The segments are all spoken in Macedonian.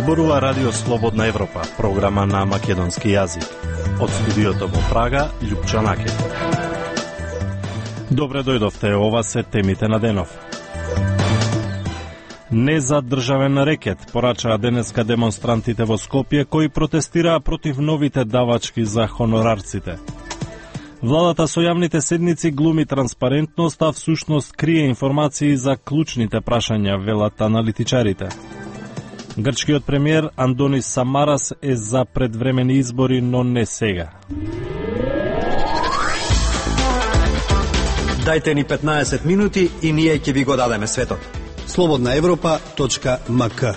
Зборува Радио Слободна Европа, програма на македонски јазик. Од студиото во Прага, Љупчо Накет. Добре дојдовте, ова се темите на денов. Незадржавен рекет порачаа денеска демонстрантите во Скопје кои протестираа против новите давачки за хонорарците. Владата со јавните седници глуми транспарентност, а всушност крие информации за клучните прашања, велат аналитичарите. Грчкиот премиер Андонис Самарас е за предвремени избори, но не сега. Дајте ни 15 минути и ние ќе ви го дадеме светот. slobodnaevropa.mk.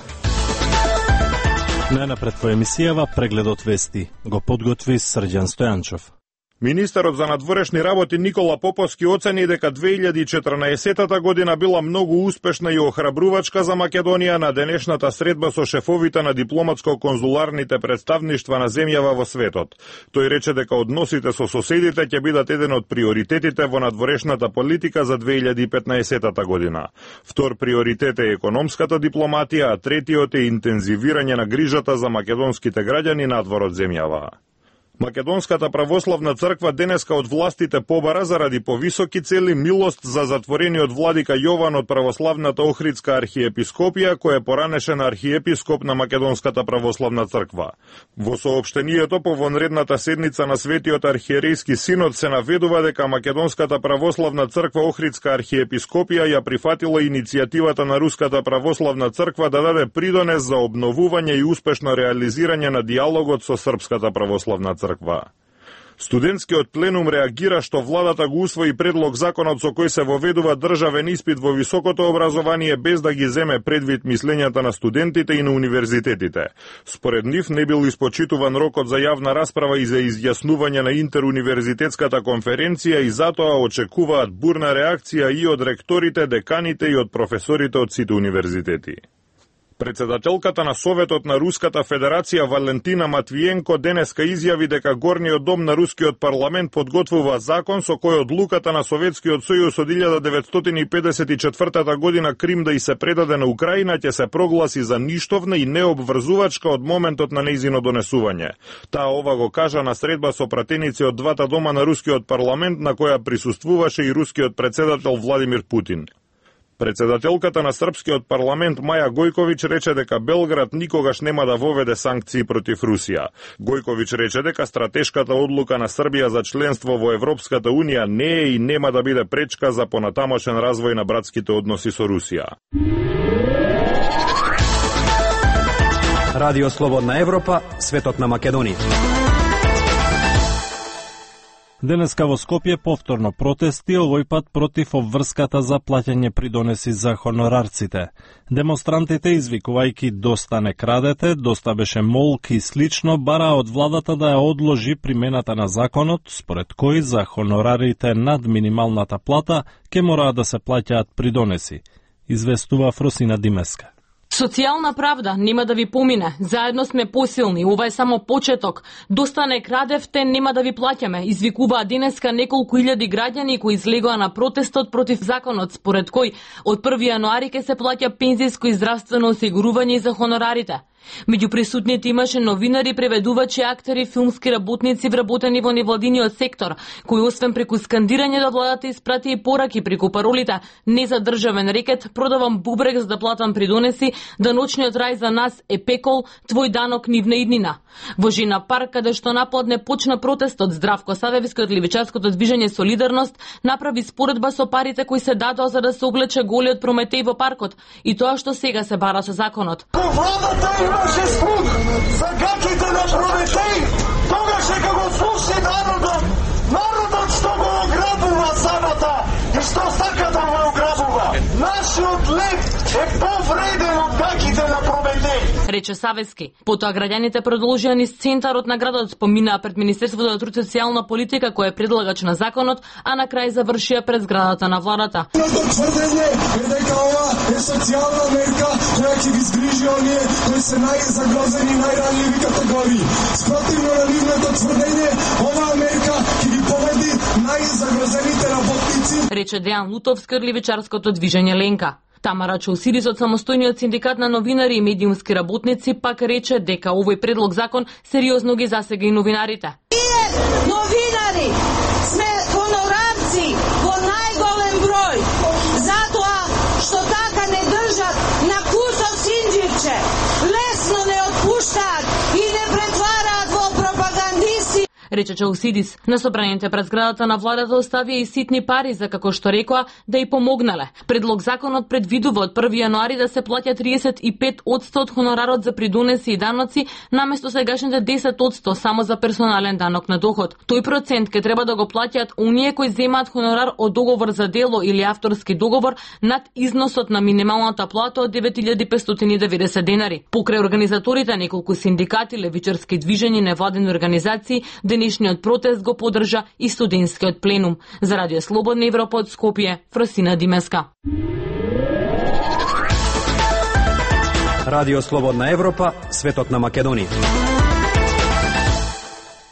Најнапред по емисијава прегледот вести го подготви Срđan Стојанчов. Министерот за надворешни работи Никола Поповски оцени дека 2014 година била многу успешна и охрабрувачка за Македонија на денешната средба со шефовите на дипломатско-конзуларните представништва на земјава во светот. Тој рече дека односите со соседите ќе бидат еден од приоритетите во надворешната политика за 2015 година. Втор приоритет е економската дипломатија, а третиот е интензивирање на грижата за македонските граѓани надвор од земјава. Македонската православна црква денеска од властите побара заради повисоки цели милост за затворениот владика Јован од православната Охридска архиепископија, кој е поранешен архиепископ на Македонската православна црква. Во соопштението по вонредната седница на Светиот архиерејски синод се наведува дека Македонската православна црква Охридска архиепископија ја прифатила иницијативата на Руската православна црква да даде придонес за обновување и успешно реализирање на диалогот со Српската православна црква. Студентскиот пленум реагира што владата го усвои предлог законот со кој се воведува државен испит во високото образование без да ги земе предвид мислењата на студентите и на универзитетите. Според нив не бил испочитуван рокот за јавна расправа и за изјаснување на интеруниверзитетската конференција и затоа очекуваат бурна реакција и од ректорите, деканите и од професорите од сите универзитети. Председателката на Советот на Руската Федерација Валентина Матвиенко денеска изјави дека Горниот дом на Рускиот парламент подготвува закон со кој одлуката на Советскиот сојуз од 1954 година Крим да и се предаде на Украина ќе се прогласи за ништовна и необврзувачка од моментот на нејзино донесување. Таа ова го кажа на средба со пратеници од двата дома на Рускиот парламент на која присуствуваше и рускиот председател Владимир Путин. Председателката на Српскиот парламент Маја Гојковиќ рече дека Белград никогаш нема да воведе санкции против Русија. Гојковиќ рече дека стратешката одлука на Србија за членство во Европската Унија не е и нема да биде пречка за понатамошен развој на братските односи со Русија. Радио Слободна Европа, светот на Македонија. Денеска во Скопје повторно протести, овој пат против обврската за плаќање придонеси за хонорарците. Демонстрантите, извикувајќи "Доста не крадете", "Доста беше молк" и слично, бараа од владата да ја одложи примената на законот, според кој за хонорарите над минималната плата ќе мора да се плаќаат придонеси, известува Фросина Димеска. Социјална правда нема да ви помине. Заедно сме посилни. Ова е само почеток. Доста не крадевте, нема да ви плаќаме. Извикуваа денеска неколку илјади граѓани кои излегоа на протестот против законот, според кој од 1 јануари ќе се плаќа пензиско и здравствено осигурување за хонорарите. Меѓу присутните имаше новинари, преведувачи, актери, филмски работници вработени во невладиниот сектор, кои освен преку скандирање до владата испрати и пораки преку паролите "Незадржавен рекет", "Продавам бубрек за да платам придонеси", "Да ночниот рај за нас е пекол", "Твој данок нивна иднина". Во Жина парк, каде што напладне почна протестот, Здравко Савевски од левичарското движење Солидарност направи споредба со парите кои се дадоа за да се облече голиот Прометеј во паркот и тоа што сега се бара со законот. Имаше слух за гаките на Прометеј, тогаш дека го слуши народот што го ограбува самата и што сака да го ограбува. Нашиот лев е повреден од гаките на Прометеј, рече Савески. Потоа граѓаните продолжија низ центарот на градот, поминаа пред Министерството за труд и социјална политика кој е предлагач на законот, а на крај завршија пред зградата на владата. Тврдење е дека ова е социјална мерка која ќе ги згрижи оние кои се најзагрозени и најранливи категории. Спротивно на нивното тврдење, оваа мерка ќе ги поведи најзагрозените работници, рече Дејан Лутовски од левичарското движење Ленка. Тамара Чаусидис од самостојниот синдикат на новинари и медиумски работници пак рече дека овој предлог закон сериозно ги засега и новинарите. Новинари сме хонорарци во најголем број, затоа што така не држат на кусок синџирче, лесно не отпуштаат и не претвараат во пропагандисти. Рече Чаусидис, на собраните пред зградата на владата оставија и ситни пари за, како што рекоа, да и помогнале. Предлог законот предвидува од 1 јануари да се плаќа 35% од хонорарот за придонеси и даноци, наместо сегашните 10% само за персонален данок на доход. Тој процент ќе треба да го плаќаат оние кои земаат хонорар од договор за дело или авторски договор над износот на минималната плата од 9590 денари. Покрај организаторите, неколку синдикати, левичарски движења, невладени организации, денешниот протест го поддржа и студентскиот пленум. За Радио Слободна Европа од Скопје, Фросина Димеска. Радио Слободна Европа, светот на Македонија.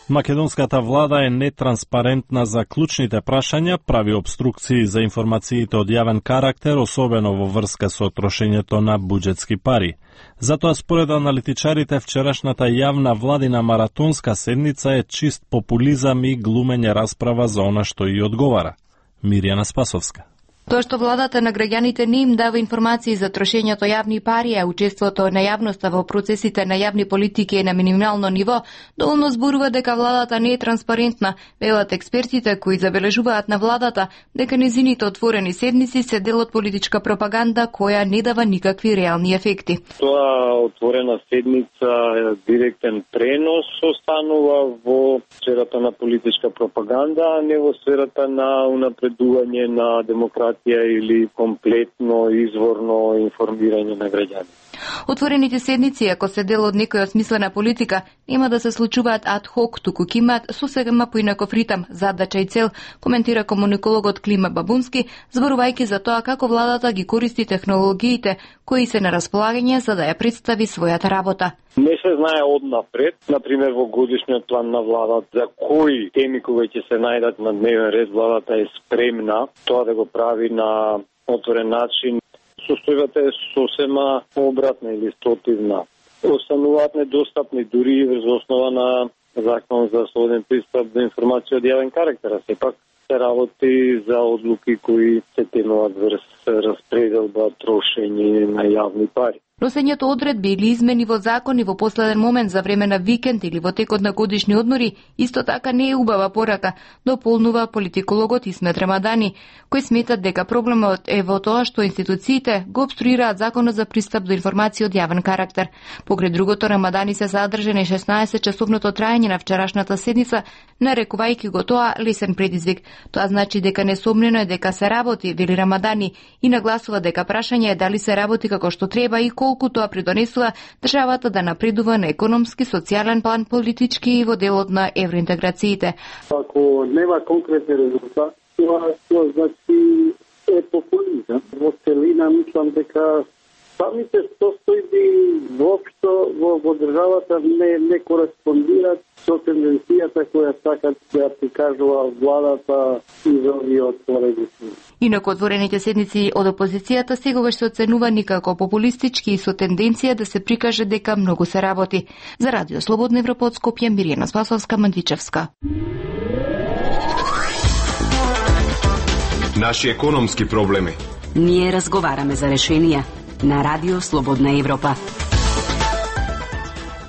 Македонската влада е нетранспарентна за клучните прашања, прави обструкции за информациите од јавен карактер, особено во врска со трошењето на буџетски пари. Затоа според аналитичарите вчерашната јавна владина маратонска седница е чист популизам и глумење расправа за она што и одговара. Мирјана Спасовска. Тоа што владата на граѓаните не им дава информации за трошењето јавни пари, а учеството на јавноста во процесите на јавни политики е на минимално ниво, доволно зборува дека владата не е транспарентна, велат експертите кои забележуваат на владата дека незините отворени седници се дел од политичка пропаганда која не дава никакви реални ефекти. Тоа отворена седница е директен пренос останува во сферата на политичка пропаганда, а не во сферата на унапредување на демократија или комплетно изворно информирање на граѓани. Отворените седници, ако се дел од некоја смислена политика, нема да се случуваат ад хок, туку ќе имаат сосема поинаков ритам, задача и цел, коментира комуникологот Клима Бабунски, зборувајќи за тоа како владата ги користи технологиите кои се на располагање за да ја представи својата работа. Не се знае однапред, например во годишниот план на владата, за кои теми кои ќе се најдат на дневен ред, владата е спремна тоа да го прави на отворен начин. Состојбата е сосема обратна или спротивна. Остануваат недостапни дури врз основа на закон за слободен пристап до информација од јавен карактер, а сепак се работи за одлуки кои се тенуваат врз распределба, трошење на јавни пари. Носењето одредби или измени во закони во последен момент за време на викенд или во текот на годишни одмори исто така не е убава порака, дополнува политикологот Исмет Рамадани, кој смета дека проблемот е во тоа што институциите го обструираат законот за пристап до информации од јавен карактер. Покрај другото, Рамадани се задржа на 16-часовното траење на вчерашната седница, нарекувајќи го тоа лесен предизвик. Тоа значи дека несомнено е дека се работи, вели Рамадани, и нагласува дека прашање е дали се работи како што треба и колку тоа придонесува државата да напредува на економски, социјален план, политички и во делот на евроинтеграциите. Ако нема конкретни резултати, тоа значи е популизам. Во целина мислам дека самите состојби воопшто во државата не кореспондираат со тенденцијата која сакат да прикажува владата и за овие отворени седници. Инаку отворените седници од опозицијата сегогаш се оценувани како популистички и со тенденција да се прикаже дека многу се работи. За Радио Слободна Европа од Скопје, Мирјана Спасовска, Мандичевска. Наши економски проблеми. Ние разговараме за решенија на Радио Слободна Европа.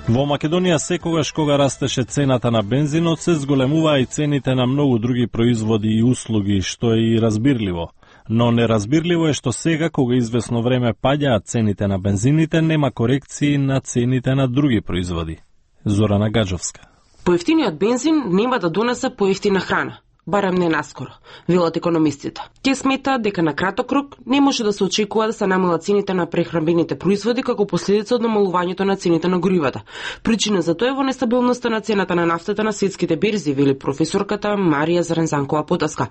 Во Македонија секогаш кога растеше цената на бензинот, се зголемуваа и цените на многу други производи и услуги, што е и разбирливо. Но неразбирливо е што сега, кога извесно време паѓаат цените на бензините, нема корекции на цените на други производи. Зорана Гаджовска. Поевтиниот бензин нема да донесе поевтина храна. Барем не наскоро, велат економистите. Те сметаат дека на краток рок не може да се очекува да се намалат цените на прехранбените производи како последица од намалувањето на цените на горивата. Причина за тоа е во нестабилноста на цената на нафтата на светските берзи, вели професорката Марија Зарензанкова Потаска.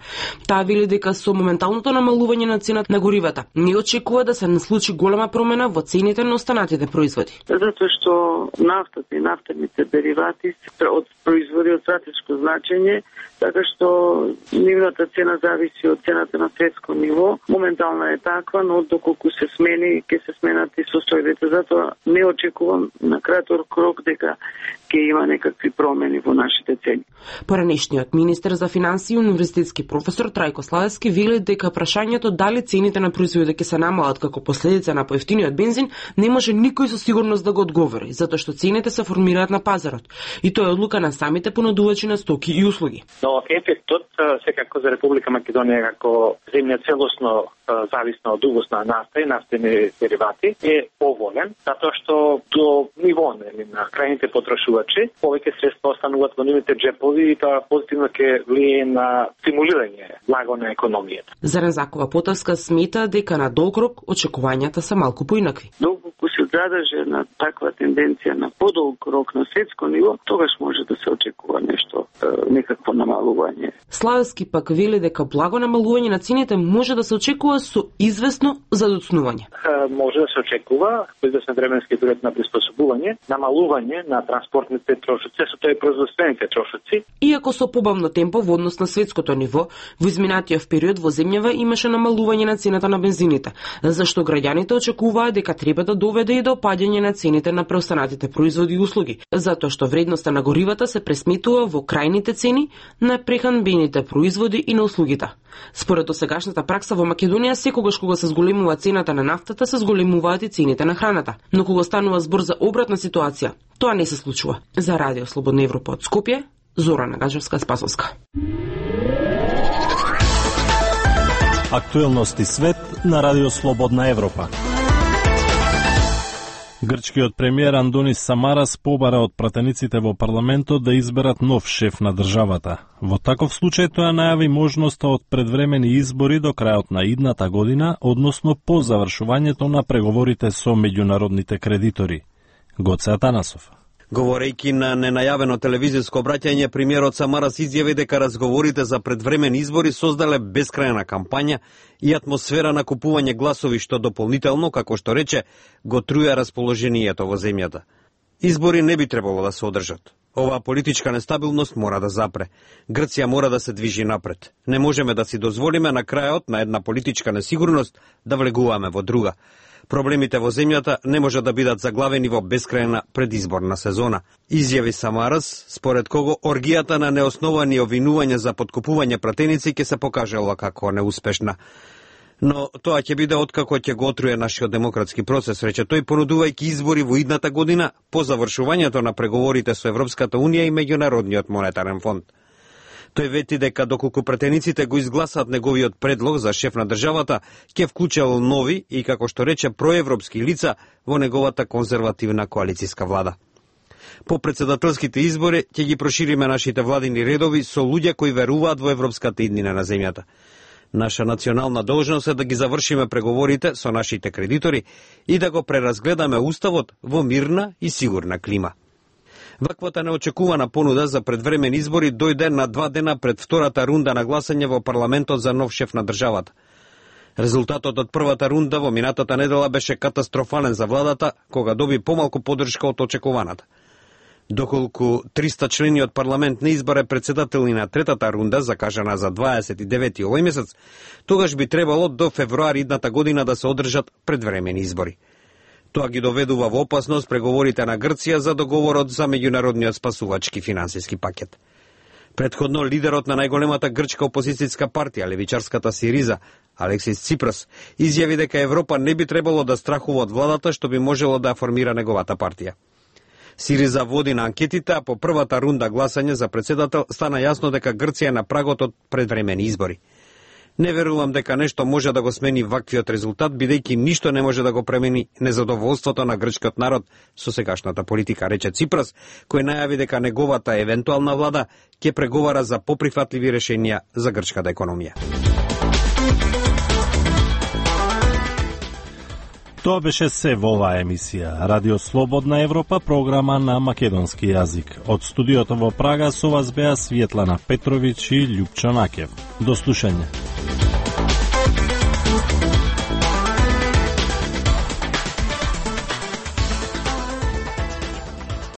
Таа вели дека со моменталното намалување на цената на горивата не очекува да се случи голема промена во цените на останатите производи. Затоа што нафтата и нафтените деривати од производство производи од стратешко значење, така што нивната цена зависи од цената на светско ниво. Моментално е таква, но доколку се смени, ќе се сменат и состојбите. Затоа не очекувам на краток рок дека ќе има некакви промени во нашите цени. Поранешниот министер за финансии и универзитетски професор Трајко Славевски вели дека прашањето дали цените на производите ќе се намалат како последица на поевтиниот бензин не може никој со сигурност да го одговори, затоа што цените се формираат на пазарот и тоа е одлука на самите понудувачи на стоки и услуги. Но ефектот секако за Република Македонија како земја целосно зависна од увоз на нафта и нафтени деривати е поволен, затоа што до ниво на крајните потрошувачи повеќе средства остануваат во нивните джепови и тоа позитивно ќе влие на стимулирање благо на економијата. Зарем Закова Потовска смета дека на долг рок очекувањата се малку поинакви. Доколку се задржи на таква тенденција на подолг рок на светско ниво, тогаш може да се очекува нешто, некакво намалување. Славевски пак вели дека благо намалување на цените може да се очекува со известно задоцнување. Може да се очекува со известен временски период на приспособување, намалување на транспортните трошоци, со тоа и производствените трошоци. Иако со побавно темпо во однос на светското ниво, во изминатиот период во земјава имаше намалување на цената на бензините, зашто граѓаните очекуваа дека треба да доведе и до опаѓање на цените на преостанатите производи и услуги, затоа што вредноста на горивата се пресметува во крајните цени на прехранбените производи и на услугите. Според досегашната пракса во Македонија, секогаш кога се зголемува цената на нафтата, се зголемуваат и цените на храната. Но кога станува збор за обратна ситуација, тоа не се случува. За Радио Слободна Европа од Скопје, Зорана Гаджевска-Спасовска. Актуелности свет на Радио Слободна Европа. Грчкиот премиер Андонис Самарас побара од пратениците во парламентот да изберат нов шеф на државата. Во таков случај тоа најави можноста од предвремени избори до крајот на идната година, односно по завршувањето на преговорите со меѓународните кредитори. Гоце Атанасов. Говорејќи на ненајавено телевизиско обраќање, премиерот Самарас изјави дека разговорите за предвремени избори создале бескрајна кампања и атмосфера на купување гласови, што дополнително, како што рече, го труја расположението во земјата. Избори не би требало да се одржат. Оваа политичка нестабилност мора да запре. Грција мора да се движи напред. Не можеме да си дозволиме на крајот на една политичка несигурност да влегуваме во друга. Проблемите во земјата не може да бидат заглавени во бескрајна предизборна сезона. Изјави Самарас, според кого оргијата на неосновани обвинувања за подкупување пратеници ќе се покажала како неуспешна. Но тоа ќе биде откако ќе го отруе нашиот демократски процес, рече тој, понудувајќи избори во идната година по завршувањето на преговорите со Европската унија и Меѓународниот монетарен фонд. Тој вети дека доколку пратениците го изгласаат неговиот предлог за шеф на државата, ќе вклучал нови и, како што рече, проевропски лица во неговата конзервативна коалицијска влада. По председателските избори ќе ги прошириме нашите владини редови со луѓе кои веруваат во европската иднина на земјата. Наша национална должност е да ги завршиме преговорите со нашите кредитори и да го преразгледаме уставот во мирна и сигурна клима. Ваквата неочекувана понуда за предвремени избори дојде на 2 дена пред втората рунда на гласање во парламентот за нов шеф на државата. Резултатот од првата рунда во минатата недела беше катастрофален за владата, кога доби помалку поддршка од очекуваната. Доколку 300 члени од парламент не избере председател и на третата рунда, закажана за 29 овој месец, тогаш би требало до февруари идната година да се одржат предвремени избори. Тоа ги доведува во опасност преговорите на Грција за договорот за меѓународниот спасувачки финансиски пакет. Претходно лидерот на најголемата грчка опозицијска партија, левичарската Сириза, Алексис Ципрас, изјави дека Европа не би требало да страхува од владата што би можело да формира неговата партија. Сириза води на анкетите, а по првата рунда гласање за председател стана јасно дека Грција е на прагот од предвремени избори. Не верувам дека нешто може да го смени ваквиот резултат, бидејќи ништо не може да го премени незадоволството на грчкиот народ со сегашната политика, рече Ципрас, кој најави дека неговата евентуална влада ќе преговара за поприфатливи решенија за грчката економија. Тоа беше се во оваа емисија. Радио Слободна Европа, програма на македонски јазик. Од студиото во Прага со вас беа Светлана Петровиќ и Љупчо Накев. До слушање.